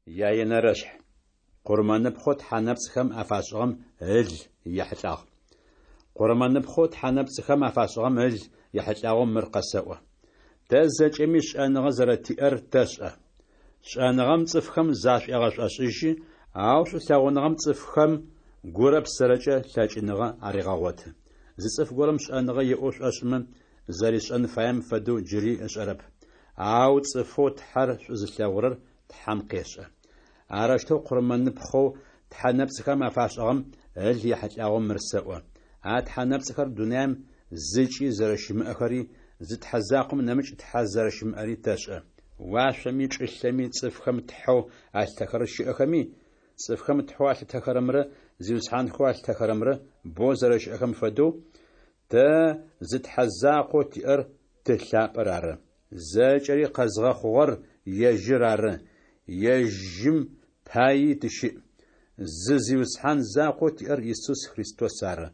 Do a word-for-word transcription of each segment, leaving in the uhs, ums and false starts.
Яенэрэшъхь. Къурмэныпхъэу тхьэ нэпцӏхэм афашӏыгъэм ыл ехьылӏагъ. Къурмэныпхъэу тхьэ нэпцӏхэм афашӏыгъэм ыл ехьылӏагъэу мыр къэсэӏо. Тэ зэкӏэми шӏэныгъэ зэрэтиӏэр тэшӏэ. Шӏэныгъэм цӏыфхэм зашӏуегъэшӏошӏыжьы, ау шӏулъэгъуныгъэм цӏыфхэм гурэ псэрэкӏэ лъэкӏыныгъэ арегъэгъоты. Зы цӏыф горэм шӏэныгъэ иӏэу шӏошӏымэ, зэришӏэн фаем фэдэу джыри ышӏэрэп. Ау цӏыфэу Тхьэр шӏу зылъэгъурэр Тхьэм къешӏэ. Арэущтэу къурмэныпхъэу тхьэ нэпцӏхэм афашӏыгъэм ыл ехьылӏагъэу мыр сэӏо: а тхьэ нэпцӏхэр дунаим зыкӏи зэрэщымыӏэхэри, зы Тхьэ закъом нэмыкӏ Тхьэ зэрэщымыӏэри тэшӏэ. Уашъоми чӏылъэми цӏыфхэм тхьэу алъытэхэрэр щыӏэхэми, цӏыфхэм тхьэу алъытэхэрэмрэ зиусхьанхэу алъытэхэрэмрэ бэу зэрэщыӏэхэм фэдэу, тэ зы Тхьэ закъоу тиӏэр Ты лъапӏэр ары. Зэкӏэри къэзгъэхъугъэр ежьыр ары, ежьым паий тыщыӏ. Зы Зиусхьан закъоу тиӏэр Исус Христос ары.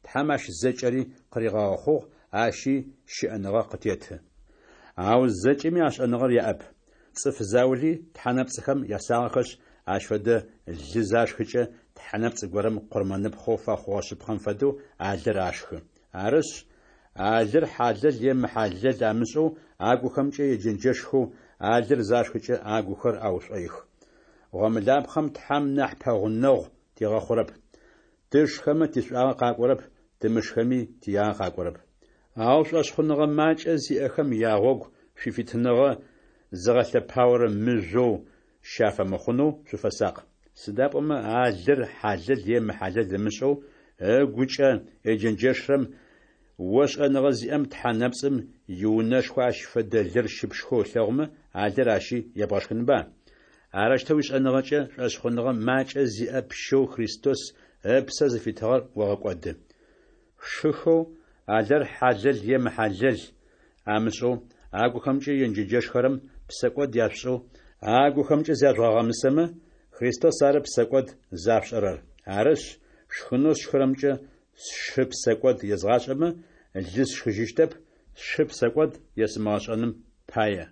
Тхьэм ащ зэкӏэри къыригъэхъугъ, ащи щыӏэныгъэ къытеты. Ау зэкӏэми а шӏэныгъэр яӏэп. Цӏыф заули тхьэ нэпцӏхэм ясагъэхэшъ, ащ фэдэ лы зашхыкӏэ, тхьэ нэпцӏ горэм къурмэныпхъэу фэхъугъэ шъыпкъэм фэдэу а лыр ашхы. Арышъ, а лыр хьалэл е мыхьалэл амышӏэу агухэмкӏэ еджэнджэшхэу, а лыр зашхыкӏэ агухэр аушӏоих. Гъомылапхъэм Тхьэм нахь пэгъунэгъу тигъэхъурэп. Тышхэмэ тишӏуагъэ къакӏорэп, тымышхэми тиягъэ къакӏорэп. Ау шӏошъхъуныгъэ макӏэ зиӏэхэм ягъогу шъуифитыныгъэ зыгъэлъэпаорэ мыжъоу щафэмыхъунэу шъуфэсакъ. Сыда пӏомэ а лыр хьалэл е мыхьалэл ымышӏэу, ыгукӏэ еджэнджэшрэм о шӏэныгъэ зиӏэм тхьэ нэпцӏым иунэшхо ащ фэдэ лыр щыпшхэу ылъэгъумэ, а лыр ащи ебгъэшхынба? Арэущтэу уишӏэныгъэкӏэ шӏошъхъуныгъэ макӏэ зиӏэ пщэу Христос ыпсэ зыфитыгъэр огъэкӏоды. Шыхэу а лыр хьалэл е мыхьалэл амышӏэу, агухэмкӏэ еджэнджэшхэрэм псэкӏод яшъушӏэу, агухэмкӏэ зяжъугъэгъэмысэмэ, Христос ары псэкӏод зашъушӏэрэр. Арышъ, шхынэу сшхырэмкӏэ сшы псэкӏод езгъашӏэмэ, лы сшхыжьыщтэп, сшы псэкӏод есымыгъэшӏэным пае.